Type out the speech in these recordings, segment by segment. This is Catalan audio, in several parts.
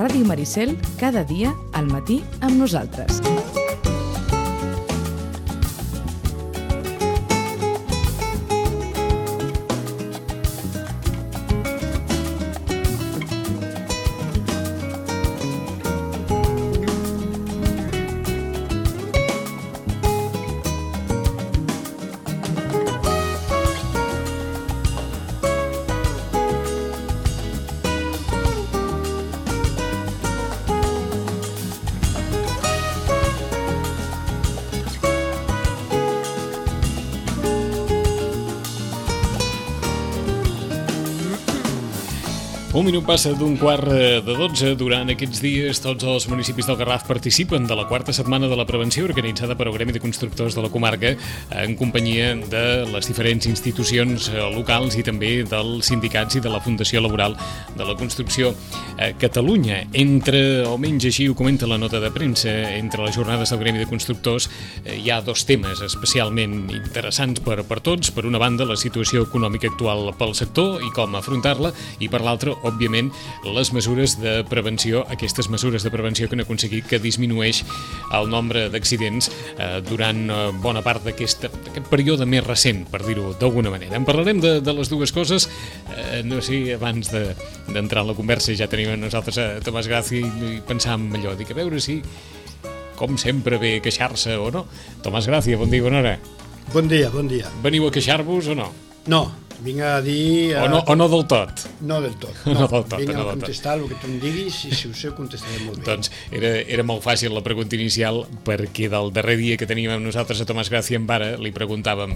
Ràdio Maricel, cada dia al matí amb nosaltres. Un minut passa d'un quart de 12. Durant aquests dies, tots els municipis del Garraf participen de la quarta setmana de la prevenció organitzada per el Gremi de Constructors de la comarca en companyia de les diferents institucions locals i també dels sindicats i de la Fundació Laboral de la Construcció a Catalunya. Entre, almenys així ho comenta la nota de premsa, entre les jornades del Gremi de Constructors hi ha dos temes especialment interessants per tots. Per una banda, la situació econòmica actual pel sector i com afrontar-la, i per l'altra, òbviament, les mesures de prevenció, aquestes mesures de prevenció que han aconseguit que disminueix el nombre d'accidents durant bona part d'aquest període més recent, per dir-ho d'alguna manera. En parlarem de les dues coses. No sé, abans d'entrar en la conversa ja tenim a nosaltres a Tomàs Gràcia i pensàvem allò, dic, a veure si, com sempre, ve a queixar-se o no. Tomàs Gràcia, bon dia, bona hora. Bon dia, bon dia. Veniu a queixar-vos o no? No, vinc a dir... O no del tot? No del tot. No del tot. Vinc a contestar el que tu em diguis i si ho sé contestaré molt bé. Doncs era molt fàcil la pregunta inicial, perquè del darrer dia que teníem amb nosaltres a Tomàs Gràcia en Vara li preguntàvem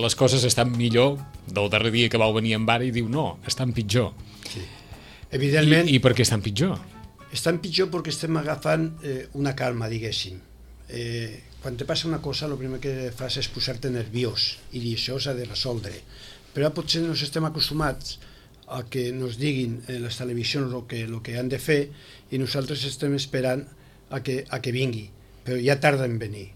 les coses estan millor del darrer dia que vau venir en Vara, i diu no, estan pitjor. Sí. Evidentment... I per què estan pitjor? Estan pitjor perquè estem agafant una calma, diguéssim. Quan te passa una cosa, el primer que fas és posar-te nerviós i dir això s'ha de resoldre. Però potser no estem acostumats a que ens diguin les televisions el que han de fer i nosaltres estem esperant a que vingui, però ja tarda en venir.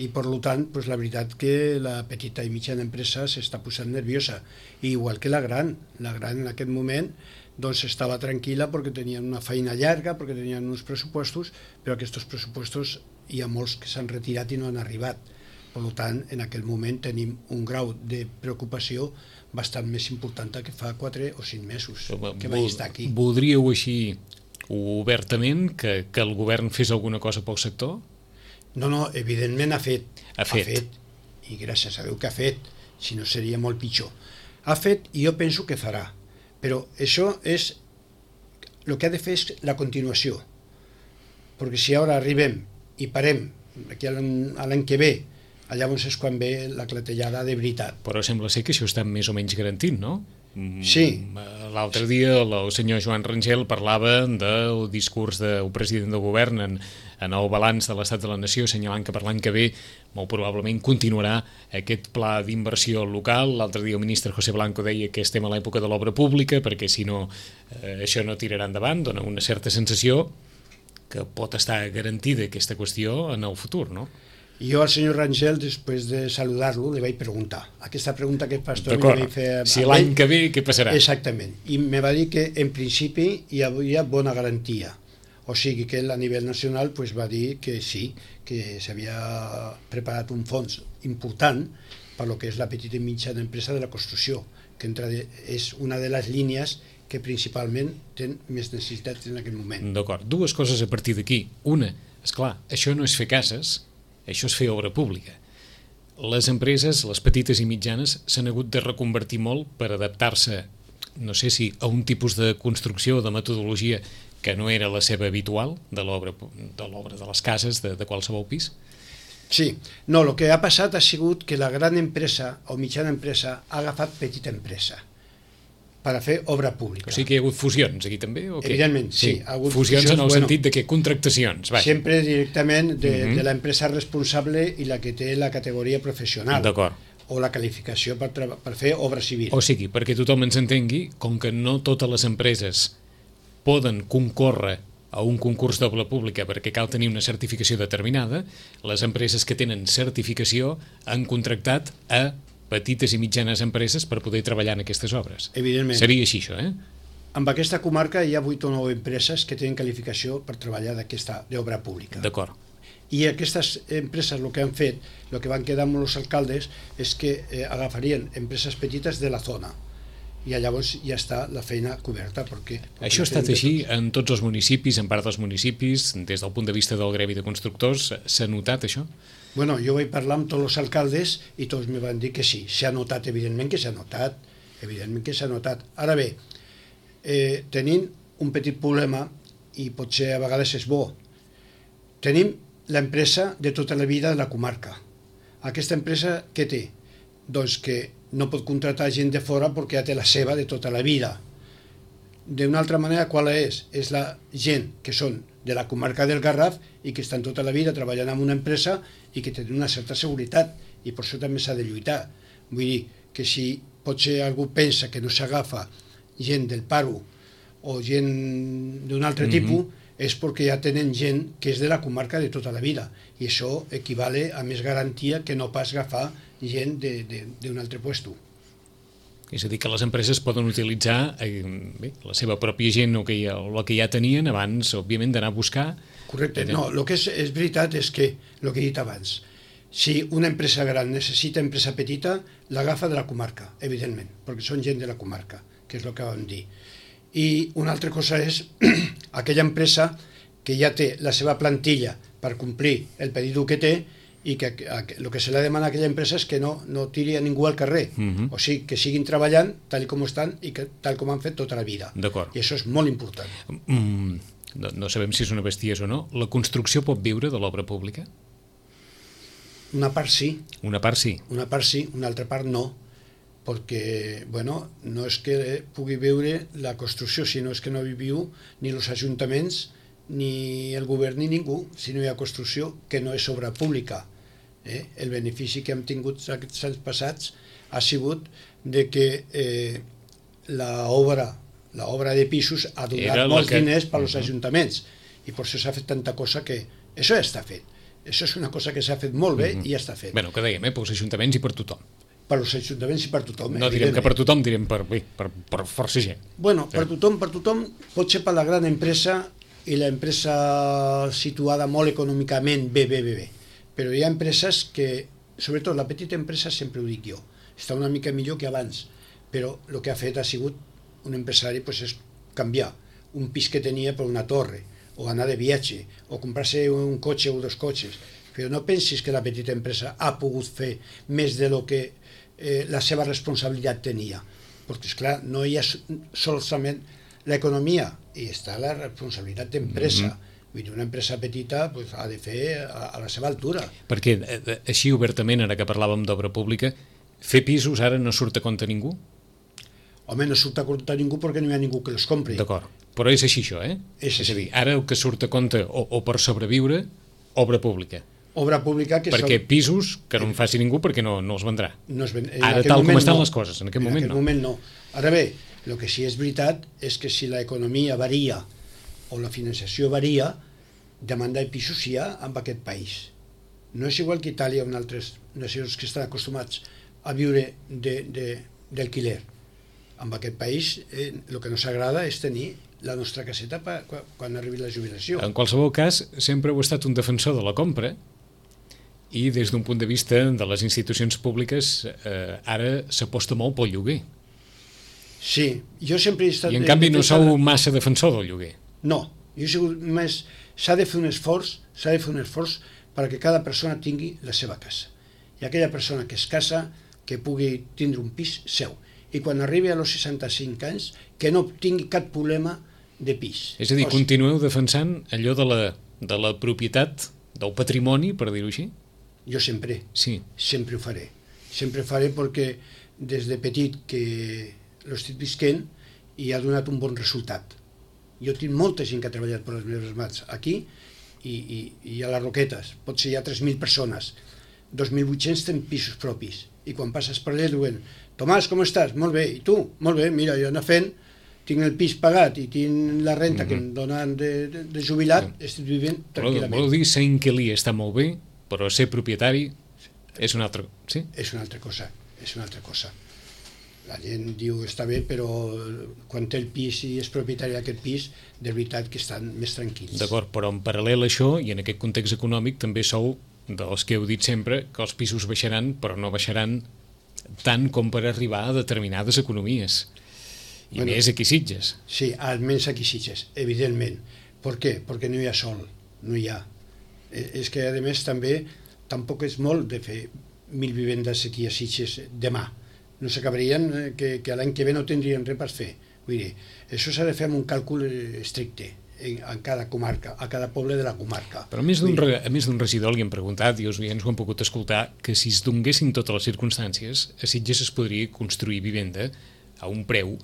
I per tant, la veritat que la petita i mitjana empresa s'està posant nerviosa, igual que la gran. La gran en aquest moment doncs estava tranquil·la perquè tenien una feina llarga, perquè tenien uns pressupostos, però aquests pressupostos hi ha molts que s'han retirat i no han arribat. Per tant, en aquell moment tenim un grau de preocupació bastant més important que fa 4 o 5 mesos que vaig estar aquí. Voldríeu així obertament que el govern fes alguna cosa pel sector? No, evidentment ha fet. Ha fet. I gràcies a Déu que ha fet, si no seria molt pitjor. Ha fet i jo penso que farà. Però això és... El que ha de fer és la continuació. Perquè si ara arribem i parem aquí a l'any que ve, llavors és quan ve la clatellada de veritat. Però sembla ser que això està més o menys garantit, no? Sí. L'altre dia el senyor Joan Rangel parlava del discurs del president del govern en el balanç de l'estat de la nació, assenyalant que per l'any que ve molt probablement continuarà aquest pla d'inversió local. L'altre dia el ministre José Blanco deia que estem a l'època de l'obra pública perquè si no això no tirarà endavant. Dona una certa sensació que pot estar garantida aquesta qüestió en el futur, no? Jo al senyor Rangel, després de saludar-lo, li vaig preguntar. Aquesta pregunta que fas tu li vaig fer... Si l'any que ve, què passarà? Exactament. I me va dir que, en principi, hi havia bona garantia. O sigui que ell, a nivell nacional, va dir que sí, que s'havia preparat un fons important per lo que és la petita i mitjana empresa de la construcció, que és una de les línies que principalment té més necessitats en aquest moment. D'acord. Dues coses a partir d'aquí. Una, esclar, això no és fer cases, això és fer obra pública. Les empreses, les petites i mitjanes, s'han hagut de reconvertir molt per adaptar-se, no sé si a un tipus de construcció, de metodologia que no era la seva habitual, de l'obra de les cases, de qualsevol pis. Sí, no, el que ha passat ha sigut que la gran empresa o mitjana empresa ha agafat petita empresa per a fer obra pública. O sigui que hi ha hagut fusions aquí també? O què? Evidentment, sí. Ha hagut fusions en el sentit de que contractacions. Sempre directament de l'empresa responsable i la que té la categoria professional. D'acord. O la qualificació per fer obra civil. O sigui, perquè tothom ens entengui, com que no totes les empreses poden concórrer a un concurs d'obra pública perquè cal tenir una certificació determinada, les empreses que tenen certificació han contractat a petites i mitjanes empreses per poder treballar en aquestes obres. Evidentment. Seria així, això, eh? En aquesta comarca hi ha 8 o 9 empreses que tenen qualificació per treballar d'obra pública. D'acord. I aquestes empreses el que han fet, el que van quedar amb els alcaldes, és que agafarien empreses petites de la zona. I llavors ja està la feina coberta. Això ha estat així en tots els municipis, en part dels municipis, des del punt de vista del gremi de constructors, s'ha notat això? Bueno, jo vaig parlar amb tots els alcaldes i tots me van dir que sí, s'ha notat, evidentment que s'ha notat, Ara bé, tenim un petit problema i potser a vegades és bo. Tenim l'empresa de tota la vida de la comarca. Aquesta empresa què té? Doncs que no pot contratar gent de fora perquè ja té la seva de tota la vida. D'una altra manera, qual és? És la gent que són de la comarca del Garraf i que estan tota la vida treballant en una empresa i que tenen una certa seguretat, i per això també s'ha de lluitar. Vull dir que si potser algú pensa que no s'agafa gent del paro o gent d'un altre tipus, és perquè ja tenen gent que és de la comarca de tota la vida, i això equivale a més garantia que no pas agafar gent d'un altre puesto. És a dir, que les empreses poden utilitzar la seva pròpia gent o la que ja tenien abans, òbviament, d'anar a buscar. Correcte. No, el que és veritat és que, el que he dit abans, si una empresa gran necessita empresa petita, l'agafa de la comarca, evidentment, perquè són gent de la comarca, que és el que vam dir. I una altra cosa és aquella empresa que ja té la seva plantilla per complir el pedido que té, i que el que se li demana a aquella empresa és que no tiri a ningú al carrer, o sigui, que siguin treballant tal com estan i tal com han fet tota la vida. D'acord. I això és molt important. No sabem si són bestiesa o no. La construcció pot viure de l'obra pública? Una part sí. Una part sí? Una part sí, una altra part no, perquè, bueno, no és que pugui viure la construcció, sinó és que no hi viu ni els ajuntaments, ni el govern ni ningú, si no hi ha construcció que no és obra pública. El benefici que hem tingut aquests anys passats ha sigut de que l'obra de pisos ha donat molts diners per als ajuntaments, i per això s'ha fet tanta cosa que això ja està fet. Això és una cosa que s'ha fet molt bé i ja està fet. Bé, que dèiem, pels ajuntaments i per tothom. Per als ajuntaments i per tothom. No direm que per tothom, direm per força gent. Bueno, per tothom, pot ser per la gran empresa i l'empresa situada molt econòmicament bé. Però hi ha empreses que, sobretot la petita empresa, sempre ho dic jo, està una mica millor que abans, però el que ha fet ha sigut un empresari és canviar un pis que tenia per una torre, o anar de viatge, o comprar-se un cotxe o 2 cotxes. Però no pensis que la petita empresa ha pogut fer més de lo que la seva responsabilitat tenia, perquè esclar, no hi ha solament l'economia, i està la responsabilitat d'empresa. Vull dir, una empresa petita ha de fer a la seva altura. Perquè així obertament, ara que parlàvem d'obra pública, fer pisos ara no surt a compte ningú? Home, no surt a compte ningú perquè no hi ha ningú que els compri. D'acord, però és així això, És a dir, ara el que surt a compte o per sobreviure, obra pública. Obra pública que perquè pisos que no en faci ningú perquè no els vendrà. Ara tal com estan les coses, en aquest moment no. Ara bé, el que sí és veritat és que si l'economia varia o la financiació varia, demanda de pisos hi ha en aquest país. No és igual que Itàlia o en altres nacions que estan acostumats a viure d'alquiler. En aquest país el que no s'agrada és tenir la nostra caseta quan arribi la jubilació. En qualsevol cas, sempre heu estat un defensor de la compra, i des d'un punt de vista de les institucions públiques ara s'aposta molt pel lloguer. Sí, jo sempre he estat... I en canvi no sou massa defensor del lloguer. No, jo he sigut més... S'ha de fer un esforç perquè cada persona tingui la seva casa. I aquella persona que es casa, que pugui tindre un pis seu. I quan arribi als 65 anys, que no tingui cap problema de pis. És a dir, continueu defensant allò de la propietat, del patrimoni, per dir-ho així? Jo sempre. Sí. Sempre ho faré. Sempre ho faré perquè des de petit que l'estic visquent i ha donat un bon resultat. Jo tinc molta gent que ha treballat per les meves mans aquí i a les Roquetes. Potser hi ha 3.000 persones. 2.800 tenen pisos propis. I quan passes per allà diuen: Tomàs, com estàs? Molt bé. I tu? Molt bé. Mira, jo anar fent, tinc el pis pagat i tinc la renta que em donen de jubilat, estic vivint tranquil·lament. Vol dir ser inquilí està molt bé, però ser propietari és una altra... Sí? És una altra cosa. La gent diu està bé, però quan té el pis i és propietari d'aquest pis, de veritat que estan més tranquils. D'acord, però en paral·lel a això, i en aquest context econòmic, també sou dels que heu dit sempre que els pisos baixaran, però no baixaran tant com per arribar a determinades economies. I més aquí a Sitges. Sí, almenys aquí a Sitges, evidentment. Per què? Perquè no hi ha sol, no hi ha. És que, a més, també tampoc és molt de fer 1.000 vivendes aquí a Sitges demà. No s'acabarien, que l'any que ve no tindrien res per fer. Vull dir, això s'ha de fer amb un càlcul estricte en cada comarca, a cada poble de la comarca. Però a més d'un regidor li hem preguntat, i els oients ho han pogut escoltar, que si es donguessin totes les circumstàncies, a Sitges es podria construir vivenda a un preu,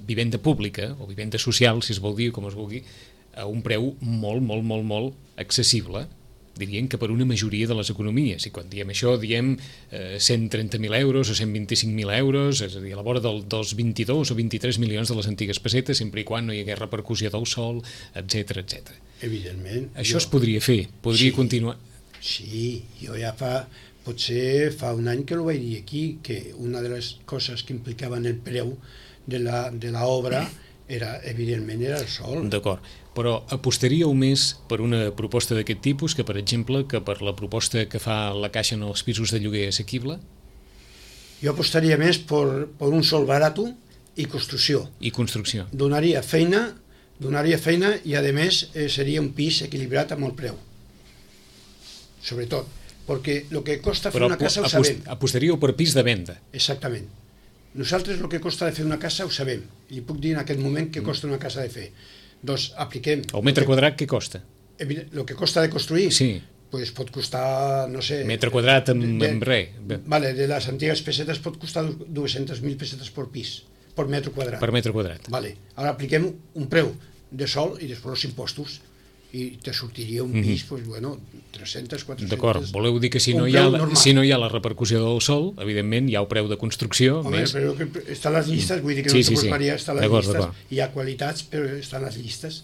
vivenda pública o vivenda social, si es vol dir, com es vulgui, a un preu molt, molt, molt, molt accessible, dirien que per una majoria de les economies, i quan diem això diem 130.000 euros o 125.000 euros, és a dir, a la vora dels 22 o 23 milions de les antigues pessetes, sempre i quan no hi hagués repercussió del sol, etc etc. Evidentment. Això es podria fer, podria continuar. Sí, jo ja potser fa un any que ho vaig dir aquí, que una de les coses que implicaven el preu de l'obra evidentment era el sol. D'acord, però apostaríeu més per una proposta d'aquest tipus que, per exemple, que per la proposta que fa la Caixa en els pisos de lloguer assequible? Jo apostaria més per un sol barat i construcció. I construcció. Donaria feina i, a més, seria un pis equilibrat amb el preu. Sobretot, perquè el que costa fer una casa ho sabem. Apostaríeu per pis de venda. Exactament. Nosaltres el que costa de fer una casa ho sabem. Li puc dir en aquest moment què costa una casa de fer. Doncs apliquem... El metre quadrat què costa? El que costa de construir? Sí. Pues pot costar, no sé... Metre quadrat amb res. Vale, de les antigues pessetes pot costar 200.000 pessetes per pis, per metre quadrat. Per metre quadrat. Vale. Ara apliquem un preu de sol i després els impostos. I te sortiria un pis, pues, bueno, 300, 400... D'acord, voleu dir que si no hi ha la repercussió del sol, evidentment hi ha el preu de construcció... Home, però que estan les llistes, vull dir que no te costaria estar les llistes, hi ha qualitats, però estan les llistes,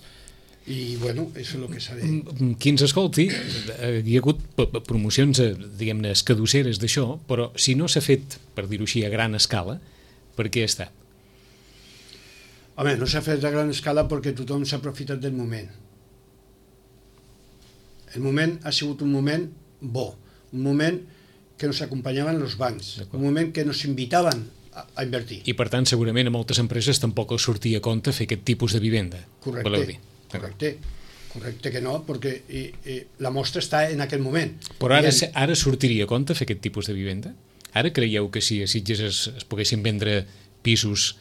i bueno, això és el que s'ha de... Qui ens escolti, hi ha hagut promocions, diguem-ne, escadusseres d'això, però si no s'ha fet, per dir-ho així, a gran escala, per què ha estat? Home, no s'ha fet a gran escala perquè tothom s'ha aprofitat del moment. El moment ha sigut un moment bo, un moment que nos acompanyaven els bancs, un moment que nos invitaven a invertir. I per tant, segurament a moltes empreses tampoc els sortia a compte fer aquest tipus de vivenda. Correcte que no, perquè la mostra està en aquest moment. Però ara sortiria a compte fer aquest tipus de vivenda? Ara creieu que si a Sitges es poguessin vendre pisos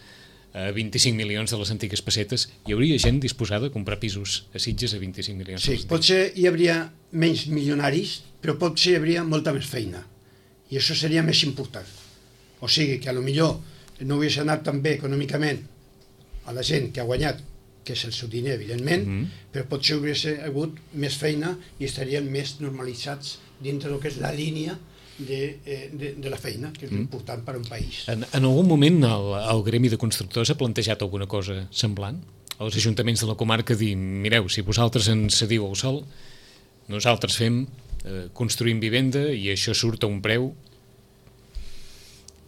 a 25 milions de les antigues pessetes, hi hauria gent disposada a comprar pisos a Sitges a 25 milions? Sí, potser hi hauria menys milionaris, però potser hi hauria molta més feina. I això seria més important. O sigui, que a lo millor no hagués anat tan bé econòmicament a la gent que ha guanyat, que és el seu diner, evidentment, però potser hagués hagut més feina i estarien més normalitzats dintre del que és la línia de la feina, que és important per a un país. En algun moment el gremi de constructors ha plantejat alguna cosa semblant? Els ajuntaments de la comarca dir, mireu, si vosaltres ens cediu el sol, nosaltres construïm vivenda i això surt a un preu.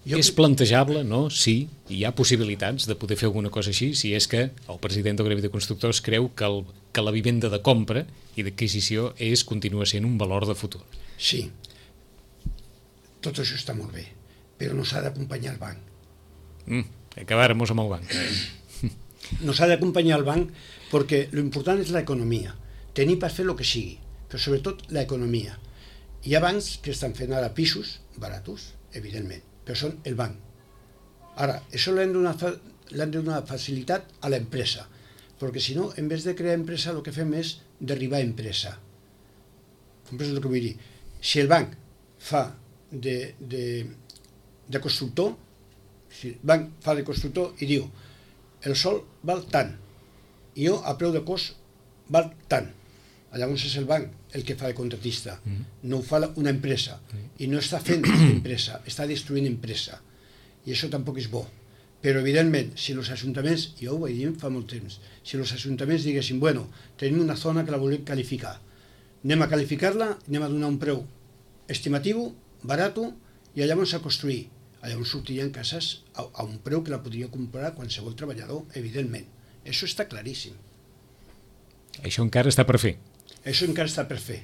És plantejable, no? Sí, hi ha possibilitats de poder fer alguna cosa així, si és que el president del gremi de constructors creu que la vivenda de compra i d'adquisició continua sent un valor de futur. Sí. Tot això està molt bé, però no s'ha d'acompanyar el banc. Acabáramos amb el banc. No s'ha d'acompanyar el banc perquè l'important és l'economia. Tenir per fer el que sigui, però sobretot l'economia. Hi ha bancs que estan fent ara pisos baratos, evidentment, però són el banc. Ara, això l'han de donar facilitat a l'empresa, perquè si no, en vez de crear empresa, el que fem és derribar empresa. Comprens el que vull dir? Si el banc fa de constructor, si el banc fa de constructor i diu el sol val tant i jo a preu de cost val tant, llavors és el banc el que fa de contratista, no ho fa una empresa i no està fent empresa, està destruint empresa i això tampoc és bo. Però evidentment, si els ajuntaments, jo ho vaig dir fa molt temps, si els ajuntaments diguessin, bueno, tenim una zona que la volem qualificar, anem a qualificar-la, anem a donar un preu estimatiu, barat, i llavors a construir. Llavors sortirien cases a un preu que la podria comprar qualsevol treballador, evidentment. Això està claríssim. Això encara està per fer. Això encara està per fer.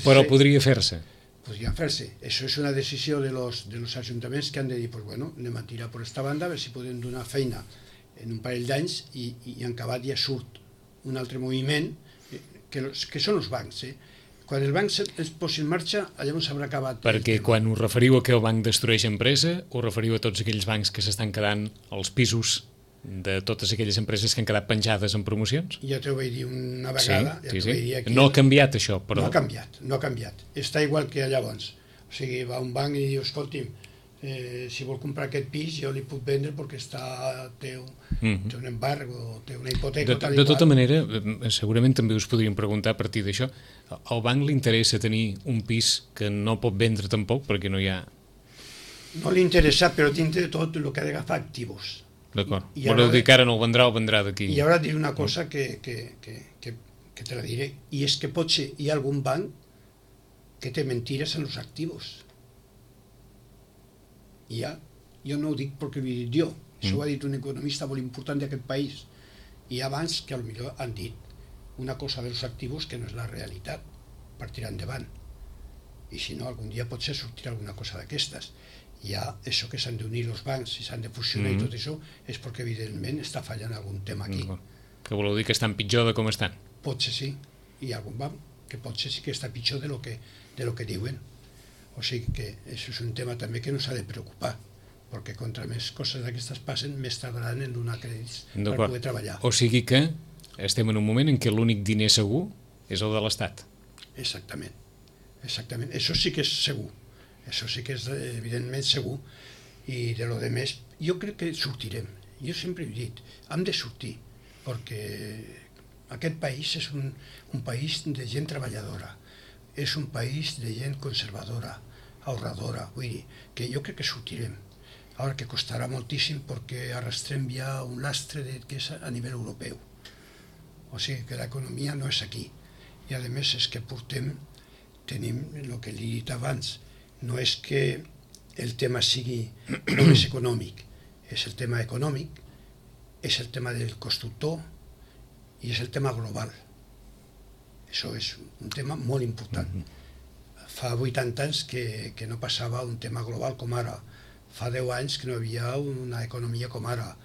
Però podria fer-se. Podria fer-se. Això és una decisió de los ajuntaments que han de dir, pues bueno, anem a tirar per esta banda, a veure si podem donar feina en un parell d'anys i en acabat ja surt un altre moviment, que són els bancs. Quan el banc es posi en marxa, llavors s'haurà acabat. Perquè quan us referiu a que el banc destrueix empresa, us referiu a tots aquells bancs que s'estan quedant als pisos de totes aquelles empreses que han quedat penjades en promocions? Ja t'ho vaig dir una vegada. Sí. No ha canviat això, però... No ha canviat. Està igual que llavors. O sigui, va un banc i diu, escolti'm, si vol comprar aquest pis jo li puc vendre perquè té un embargo, té una hipoteca... De tota manera, segurament també us podríem preguntar a partir d'això, al banc li interessa tenir un pis que no pot vendre tampoc perquè no hi ha... No li interessa, però dintre de tot el que ha d'agafar actius. D'acord. Voleu dir que ara no el vendrà o vendrà d'aquí? I ara diré una cosa que te la diré, i és que potser hi ha algun banc que té mentires en els actius. Jo no ho dic perquè ho he dit jo, això ho ha dit un economista molt important d'aquest país. Hi ha bancs que potser han dit una cosa dels actius que no és la realitat per tirar endavant. I si no, algun dia potser sortirà alguna cosa d'aquestes. Hi ha això que s'han d'unir els bancs i s'han de fusionar i tot això és perquè evidentment està fallant algun tema aquí. Que voleu dir que estan pitjor de com estan? Potser sí, hi ha algun banc que potser sí que està pitjor de lo que diuen. O sigui que això és un tema també que no s'ha de preocupar, perquè contra més coses d'aquestes passen, més tardaran en donar crèdits per poder treballar. O sigui que estem en un moment en què l'únic diner segur és el de l'Estat. Exactament. Això sí que és segur. Això sí que és evidentment segur, i de lo de més jo crec que sortirem. Jo sempre he dit, hem de sortir, perquè aquest país és un país de gent treballadora, és un país de gent conservadora, ahorradora, vull dir, que jo crec que sortirem. Ara que costarà moltíssim perquè arrastrem ja un lastre que és a nivell europeu. O sigui que l'economia no és aquí. I a més és que tenim el que li he dit abans, no és que el tema sigui només econòmic, és el tema econòmic, és el tema del constructor i és el tema global. Això és un tema molt important. Fa 80 anys que no passava un tema global com ara, fa 10 anys que no hi havia una economia com ara,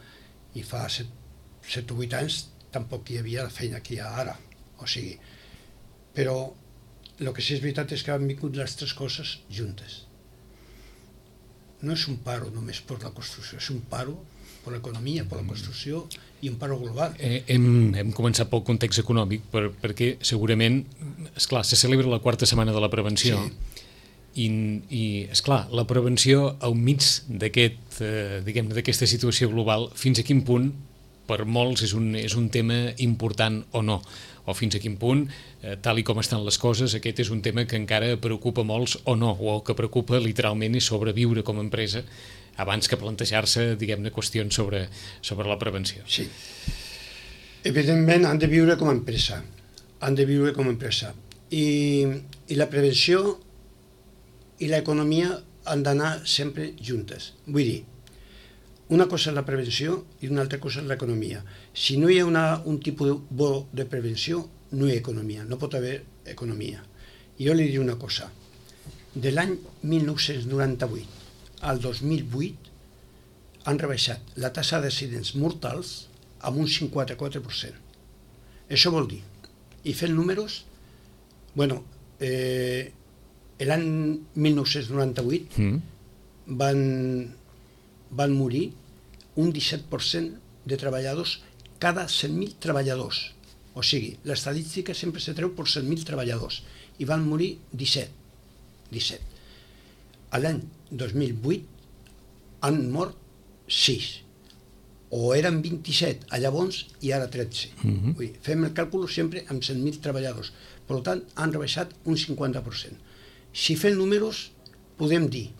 i fa 7 o 8 anys tampoc hi havia la feina que hi ha ara. O sigui, però el que sí és veritat és que han vingut les tres coses juntes. No és un paro només per la construcció, és un paro per l'economia, per la construcció i un paro global. Hem començat pel context econòmic perquè segurament, esclar, se celebra la 4ª setmana de la prevenció i esclar, la prevenció al mig d'aquesta situació global, fins a quin punt per molts és un tema important o no, o fins a quin punt, tal i com estan les coses, aquest és un tema que encara preocupa molts o no, o el que preocupa literalment és sobreviure com a empresa abans que plantejar-se, diguem-ne, qüestions sobre la prevenció. Sí. Evidentment han de viure com a empresa, i la prevenció i l'economia han d'anar sempre juntes. Vull dir, una cosa és la prevenció i una altra cosa és l'economia. Si no hi ha un tipus bo de prevenció, no hi ha economia, no pot haver economia. Jo li diré una cosa, de l'any 1998 al 2008 han rebaixat la taxa d'accidents mortals amb un 54%. Això vol dir, i fent números, l'any 1998 van morir un 17% de treballadors cada 100.000 treballadors. O sigui, l'estadística sempre se treu per 100.000 treballadors i van morir 17. A l'any 2008 han mort 6, o eren 27 a llavors i ara 13. Vull dir, fem el càlcul sempre amb 100.000 treballadors, per tant han rebaixat un 50%. Si fem números podem dir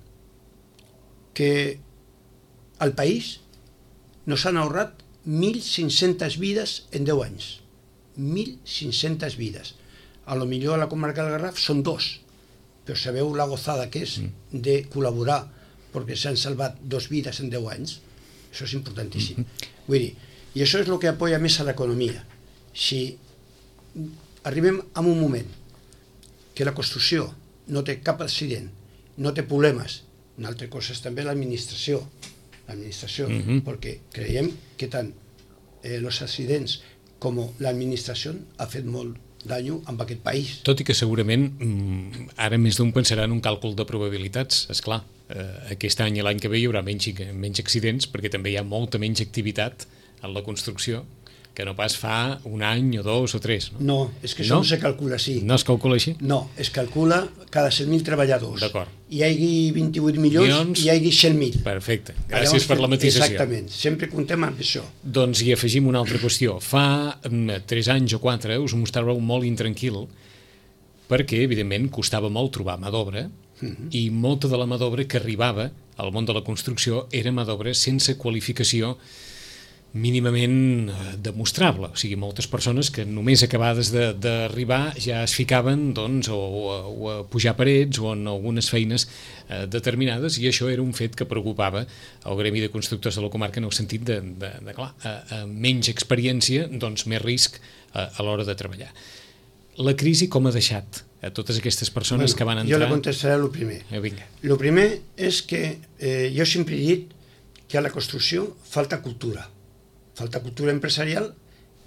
que al país nos han ahorrat 1.500 vides en 10 anys. 1.500 vides. A lo millor a la comarca del Garraf són 2, però sabeu la gozada que és de col·laborar perquè s'han salvat 2 vides en 10 anys. Això és importantíssim. Vull dir, i això és el que apoya més a l'economia. Si arribem a un moment que la construcció no té cap accident, no té problemes, una altra cosa és també l'administració, perquè creiem que tant els accidents com l'administració ha fet molt dany amb aquest país. Tot i que segurament ara més d'un pensarà en un càlcul de probabilitats, esclar. Aquest any i l'any que ve hi haurà menys accidents perquè també hi ha molta menys activitat en la construcció que no pas fa un any o 2 o 3. No, és que això no se calcula així. No es calcula així? No, es calcula cada 100.000 treballadors. D'acord. Hi hagi 28 milions i hi hagi 100.000. Perfecte, gràcies per la matisació. Exactament, sempre comptem amb això. Doncs hi afegim una altra qüestió. Fa 3 anys o 4 us mostràveu molt intranquil perquè, evidentment, costava molt trobar mà d'obra i molta de la mà d'obra que arribava al món de la construcció era mà d'obra sense qualificació mínimament demostrable. O sigui, moltes persones que només acabades d'arribar ja es ficaven doncs, o a pujar parets o en algunes feines determinades, i això era un fet que preocupava el gremi de constructors de la comarca en el sentit de clar, menys experiència, doncs més risc a l'hora de treballar. La crisi com ha deixat a totes aquestes persones que van entrar? Jo la contestaré el primer. Vinga. El primer és que jo sempre he dit que a la construcció falta cultura. Falta cultura empresarial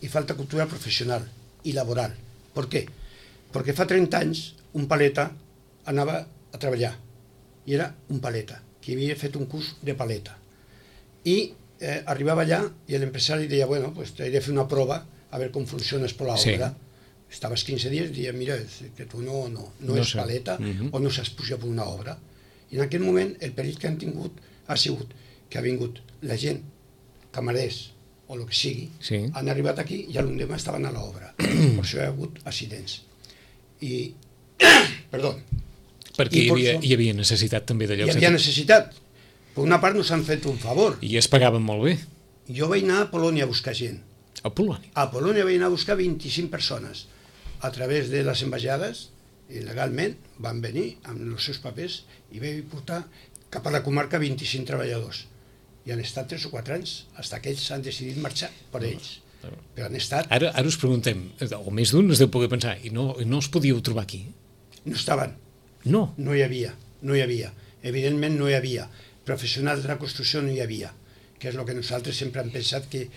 i falta cultura professional i laboral. Per què? Perquè fa 30 anys un paleta anava a treballar i era un paleta, que havia fet un curs de paleta. I arribava allà i l'empresari deia, bueno, pues he de fer una prova a veure com funciones per l'obra. Estaves 15 dies i deia, mira, que tu no és paleta o no saps pujar per una obra. I en aquell moment el perill que han tingut ha sigut que ha vingut la gent, camarers, o el que sigui, han arribat aquí i l'endemà estaven a l'obra. Per això hi ha hagut accidents. Perdó. Perquè hi havia necessitat també de llocs. Hi havia necessitat. Per una part nos han fet un favor. I es pagaven molt bé. Jo vaig anar a Polònia a buscar gent. A Polònia? A Polònia vaig anar a buscar 25 persones. A través de les ambaixades, il·legalment, van venir amb els seus papers i vaig portar cap a la comarca 25 treballadors. I han estat 3 o 4 anys, fins que ells han decidit marxar per ells. Però han estat... Ara us preguntem, o més d'un es deu poder pensar, i no els podíeu trobar aquí? No estaven. No? No hi havia. Evidentment no hi havia. Professionals de la construcció no hi havia, que és el que nosaltres sempre hem pensat, que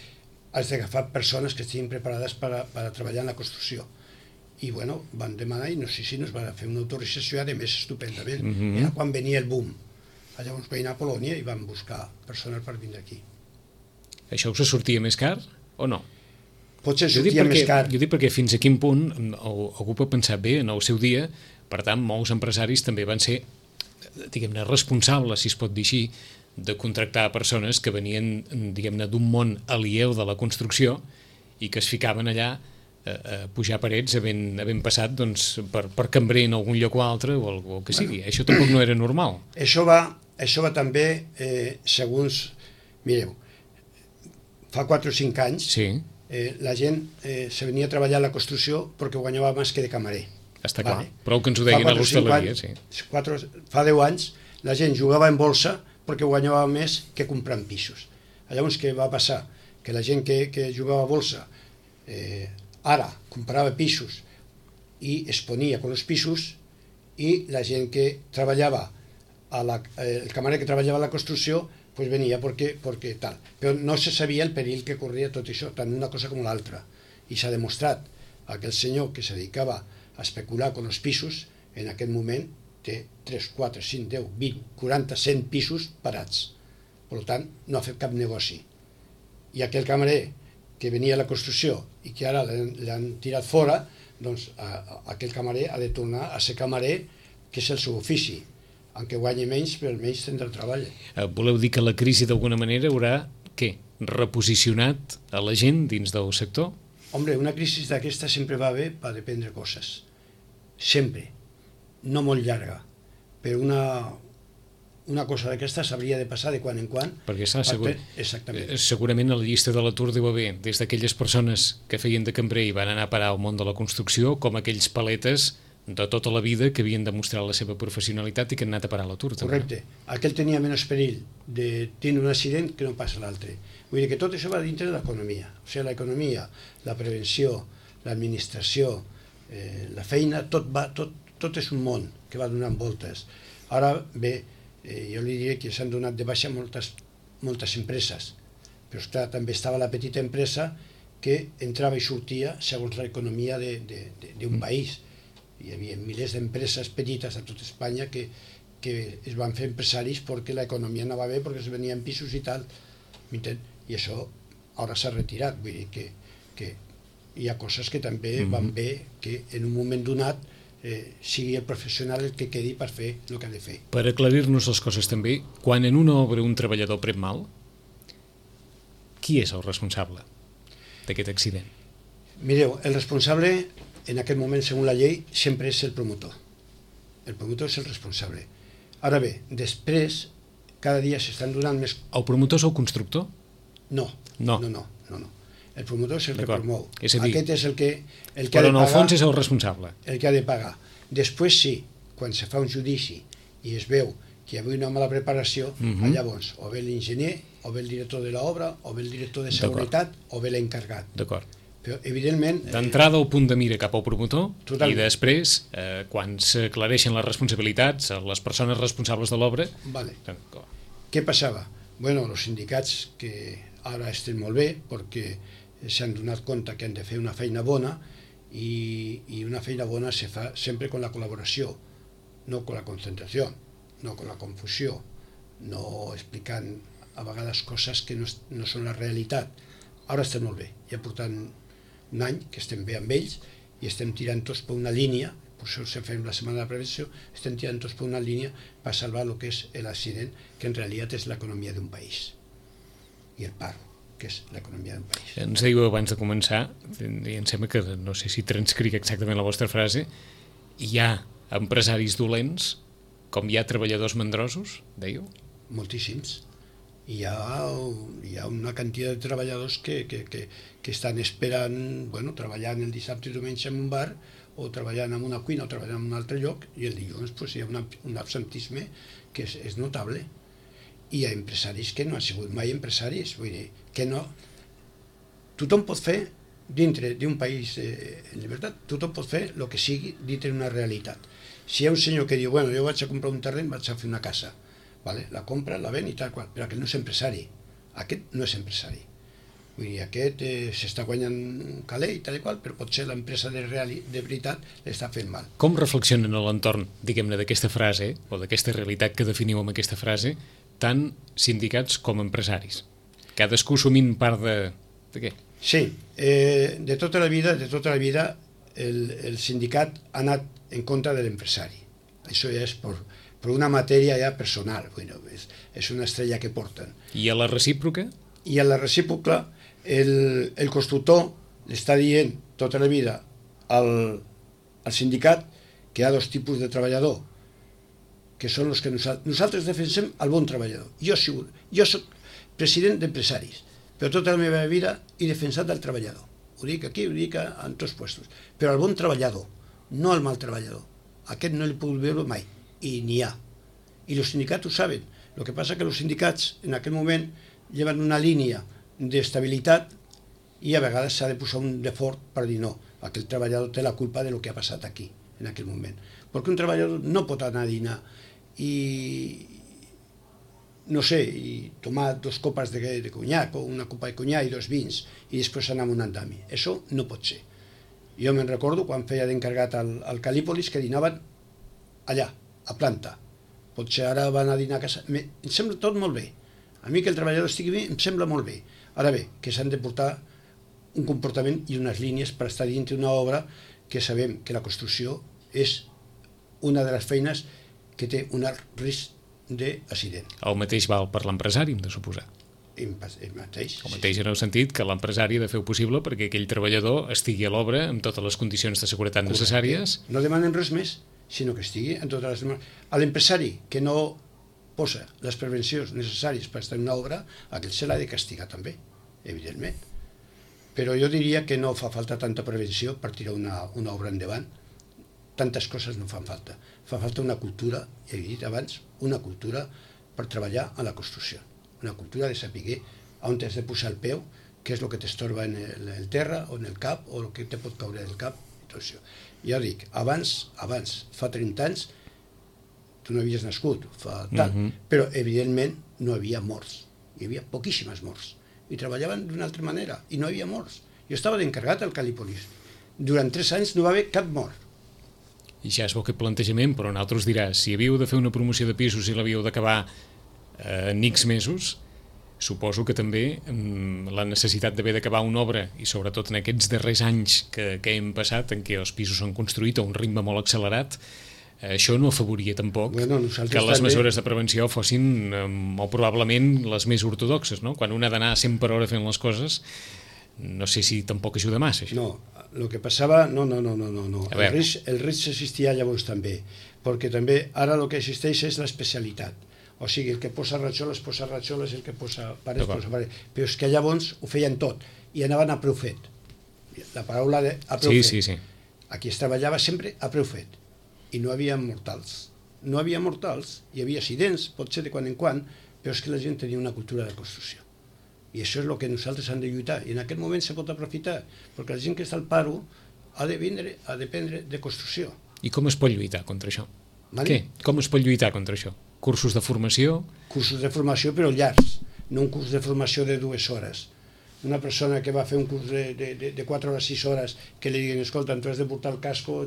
has d'agafar persones que estiguin preparades per a treballar en la construcció. I bueno, van demanar, i no sé si nos van fer una autorització, a més estupendament. Era quan venia el boom. Llavors vaig anar a Polònia i vam buscar persones per vindre aquí. Això us sortia més car o no? Potser sortia més car. Jo dic perquè fins a quin punt algú pot pensar bé en el seu dia, per tant, molts empresaris també van ser, diguem-ne, responsables, si es pot dir així, de contractar persones que venien, diguem-ne, d'un món alieu de la construcció i que es ficaven allà a pujar parets havent passat doncs, per cambrer en algun lloc o altre o el que sigui. Això tampoc no era normal. Això va també segons... Mireu, fa 4 o 5 anys la gent se venia a treballar a la construcció perquè guanyava més que de camarer. Està clar, prou que ens ho deien a l'hostaleria. Fa 10 anys la gent jugava en bolsa perquè guanyava més que comprant pisos. Llavors què va passar? Que la gent que jugava a bolsa ara comprava pisos i es ponia con els pisos, i la gent que treballava, el camarer que treballava a la construcció, pues venia perquè tal. Però no se sabia el perill que corria tot això, tant una cosa com l'altra. I s'ha demostrat, aquell senyor que se dedicava a especular con els pisos, en aquest moment té 3, 4, 5, 10, 20, 40, 100 pisos parats. Per tant, no ha fet cap negoci. I aquell camarer que venia a la construcció i que ara l'han tirat fora, doncs aquell camarer ha de tornar a ser camarer, que és el seu ofici. Aunque guanyi menys, però almenys tindrà treball. Voleu dir que la crisi d'alguna manera haurà, què, reposicionat a la gent dins del sector? Hombre, una crisi d'aquesta sempre va bé per aprendre coses. Sempre. No molt llarga. Però una cosa d'aquesta s'hauria de passar de quan en quan. Perquè Exactament. Segurament a la llista de l'atur deu haver des d'aquelles persones que feien de cambrer i van anar a parar al món de la construcció, com aquells paletes de tota la vida que havien demostrat la seva professionalitat i que han anat a parar a l'atur. Correcte. Aquell tenia menys perill de tenir un accident que no passa l'altre. Vull dir que tot això va dintre de l'economia. O sigui, l'economia, la prevenció, l'administració, la feina, tot és un món que va donant voltes. Ara, bé, jo li diré que s'han donat de baixa moltes empreses, però esclar, també estava la petita empresa que entrava i sortia segons l'economia d'un país. Hi havia milers d'empreses petites a tot Espanya que es van fer empresaris perquè l'economia anava bé, perquè es venien pisos i tal. I això ara s'ha retirat. Vull dir que hi ha coses que també van bé que en un moment donat sigui el professional el que quedi per fer el que ha de fer. Per aclarir-nos les coses també, quan en una obra un treballador pren mal, qui és el responsable d'aquest accident? Mireu, el responsable en aquest moment, segons la llei, sempre és el promotor. El promotor és el responsable. Ara bé, després, cada dia s'estan donant més... El promotor és el constructor? No. El promotor és el que promou. És a dir, aquest és el que ha de pagar. Però en el fons és el responsable. El que ha de pagar. Després sí, quan se fa un judici i es veu que hi havia una mala preparació, llavors o bé l'enginyer, o bé el director de l'obra, o bé el director de seguretat, o bé l'encarregat. D'acord. Però, evidentment... D'entrada el punt de mira cap al promotor totalment. I després, quan s'aclareixen les responsabilitats, les persones responsables de l'obra... Vale. Què passava? Bueno, els sindicats que ara estan molt bé perquè s'han donat compte que han de fer una feina bona i una feina bona se fa sempre con la col·laboració, no con la concentració, no con la confusió, no explicant a vegades coses que no són la realitat. Ara estem molt bé, ja portant un any que estem bé amb ells i estem tirant tots per una línia, per això fem la setmana de prevenció, estem tirant tots per una línia per salvar el que és l'accident, que en realitat és l'economia d'un país, i el paro, que és l'economia d'un país. Ens dèieu abans de començar, i em sembla que, no sé si transcric exactament la vostra frase, hi ha empresaris dolents com hi ha treballadors mandrosos, dèieu? Moltíssims. Hi ha una quantitat de treballadors que estan esperant, bueno, treballant el dissabte i diumenge en un bar, o treballant en una cuina o treballant en un altre lloc, i el dilluns pues, hi ha un absentisme que és notable. I hi ha empresaris que no han sigut mai empresaris, vull dir, que no... Tothom pot fer, dintre d'un país en llibertat, tothom pot fer el que sigui dintre d'una realitat. Si hi ha un senyor que diu, bueno, jo vaig a comprar un terreny, vaig a fer una casa, vale? La compra, la ven i tal qual, però aquest no és empresari. Aquest no és empresari. Vull dir, aquest s'està guanyant un caler i tal i qual, però potser l'empresa de veritat l'està fent mal. Com reflexionen a l'entorn, diguem-ne, d'aquesta frase, o d'aquesta realitat que definiu amb aquesta frase, tant sindicats com empresaris? Cadascú assumint part de què? Sí, de tota la vida el sindicat ha anat en contra de l'empresari. Això ja és per una matèria ja personal, bueno, és una estrella que porten. I a la recíproca? I a la recíproca el constructor l'està dient tota la vida al sindicat que hi ha dos tipus de treballador, que són els que nosaltres defensem el bon treballador. Jo soc president d'empresaris, però tota la meva vida he defensat el treballador. Ho dic aquí, ho dic en tots puestos. Però el bon treballador, no el mal treballador. Aquest no l'he pogut veure mai, i n'hi ha. I els sindicats ho saben. El que passa que els sindicats en aquell moment lleven una línia d'estabilitat i a vegades s'ha de posar un d'efort per dir no, aquell treballador té la culpa de lo que ha passat aquí, en aquell moment. Perquè un treballador no pot anar a dinar i, no sé, i tomar 2 copes de conyac o una copa de conyac i 2 vins i després anar amb un andami. Això no pot ser. Jo me'n recordo quan feia d'encarregat al Calípolis que dinaven allà, a planta. Potser ara van a dinar a casa. Em sembla tot molt bé. A mi que el treballador estigui bé em sembla molt bé. Ara bé, que s'han de portar un comportament i unes línies per estar dintre d'una obra que sabem que la construcció és una de les feines que té un alt risc d'accident. El mateix val per l'empresari, hem de suposar. El mateix en el sentit que l'empresari ha de fer el possible perquè aquell treballador estigui a l'obra amb totes les condicions de seguretat necessàries. No demanen res més, sinó que estigui en totes les... A l'empresari que no posa les prevencions necessàries per estar en una obra, aquell se l'ha de castigar també, evidentment. Però jo diria que no fa falta tanta prevenció per tirar una obra endavant. tantes coses no fan falta. Fa falta una cultura, he dit abans, una cultura per treballar a la construcció. Una cultura de saber on has de posar el peu, què és el que t'estorba en el terra o en el cap, o el que te pot caure del cap, i tot això. Ja dic, abans, fa 30 anys, tu no havies nascut, fa tant, però evidentment no havia morts, hi havia poquíssimes morts, i treballaven d'una altra manera, i no havia morts. Jo estava d'encarregat al Cal·lípolis. Durant 3 anys no va haver cap mort. I ja és bo aquest plantejament, però nosaltres diràs, si havíeu de fer una promoció de pisos i l'havíeu d'acabar en X mesos, suposo que també la necessitat d'haver d'acabar una obra, i sobretot en aquests darrers anys que hem passat, en què els pisos s'han construït a un ritme molt accelerat, això no afavoria tampoc que les mesures de prevenció fossin molt probablement les més ortodoxes, no? Quan un ha d'anar 100 per hora fent les coses, no sé si tampoc ajuda massa, això. No, el que passava... No. El risc existia llavors també, perquè també ara el que existeix és l'especialitat. O sigui, el que posa ratxoles, el que posa parets, posa parets. Però és que llavors ho feien tot i anaven a preu fet. La paraula de a preu fet. Sí. Aquí es treballava sempre a preu fet i no havia mortals. No havia mortals, hi havia accidents, potser de quan en quan, però és que la gent tenia una cultura de construcció. I això és el que nosaltres hem de lluitar. I en aquest moment se pot aprofitar, perquè la gent que està al paro ha d'aprendre de construcció. I com es pot lluitar contra això? Què? Com es pot lluitar contra això? Cursos de formació? Cursos de formació, però llargs, no un curs de formació de 2 hores. Una persona que va fer un curs de 4 hores, 6 hores, que li diguin, escolta, tu has de portar el casco,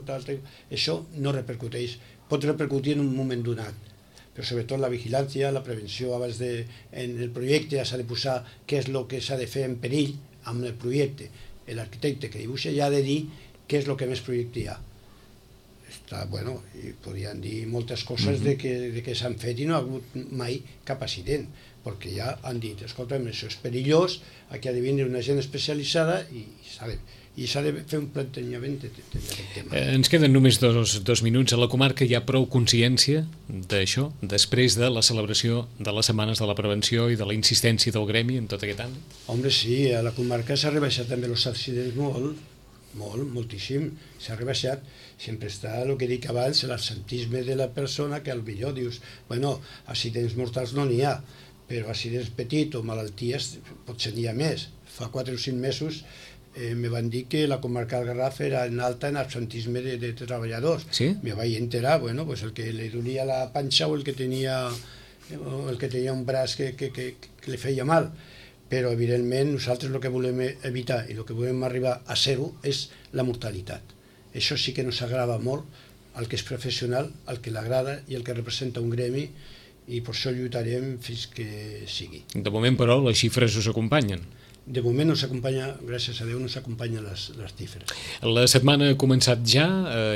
això no repercuteix. Pot repercutir en un moment donat, però sobretot la vigilància, la prevenció, abans en el projecte ja s'ha de posar què és el que s'ha de fer en perill amb el projecte. L'arquitecte que dibuixa ja ha de dir què és el que més projecte hi ha. Bueno, i podien dir moltes coses de que s'han fet i no ha hagut mai cap accident, perquè ja han dit, escolta'm, això és perillós, aquí ha de vindre una gent especialitzada i s'ha de fer un plantejament d'aquest tema. Ens queden només dos minuts. A la comarca hi ha prou consciència d'això, després de la celebració de les setmanes de la prevenció i de la insistència del gremi en tot aquest àmbit? Home, sí, a la comarca s'ha rebaixat també els accidents moltíssim, s'ha rebaixat. Sempre està el que dic abans, l'absentisme de la persona, que potser dius, bueno, accidents mortals no n'hi ha, però accidents petits o malalties potser n'hi ha més. Fa 4 o 5 mesos me van dir que la comarca del Garraf era en alta en absentisme de treballadors. Sí? Me vaig enterar, bueno, pues el que li dolia la panxa o el que tenia un braç que li feia mal. Però, evidentment, nosaltres el que volem evitar i el que volem arribar a zero és la mortalitat. Això sí que nos agrada molt al que és professional, al que l'agrada i al que representa un gremi, i per això lluitarem fins que sigui. De moment, però, les xifres us acompanyen. De moment nos acompanya, gràcies a Déu, nos acompanyen les xifres. La setmana ha començat ja,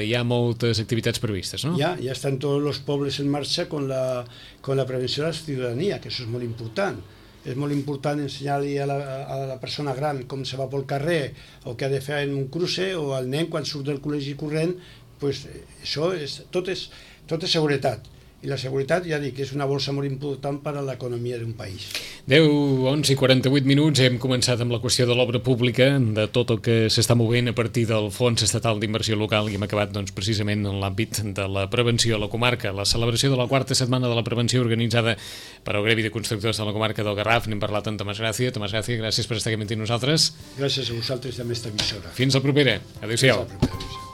hi ha moltes activitats previstes, no? Ja estan tots els pobles en marxa con la prevenció de la ciutadania, que això és molt important. És molt important ensenyar-li a la persona gran com se va pel carrer o què ha de fer en un cruce, o al nen quan surt del col·legi corrent, pues això tot és seguretat. I la seguretat, ja dic, és una bolsa molt important per a l'economia d'un país. 10:48, hem començat amb la qüestió de l'obra pública, de tot el que s'està movent a partir del Fons Estatal d'Inversió Local, i hem acabat precisament en l'àmbit de la prevenció a la comarca, la celebració de la 4a setmana de la prevenció organitzada per al Gremi de Constructors de la comarca del Garraf. N'hem parlat amb Tomàs Gràcia. Tomàs Gràcia, gràcies per estar aquí amb nosaltres. Gràcies a vosaltres i a aquesta emissora. Fins la propera. Adéu-siau. Fins la propera.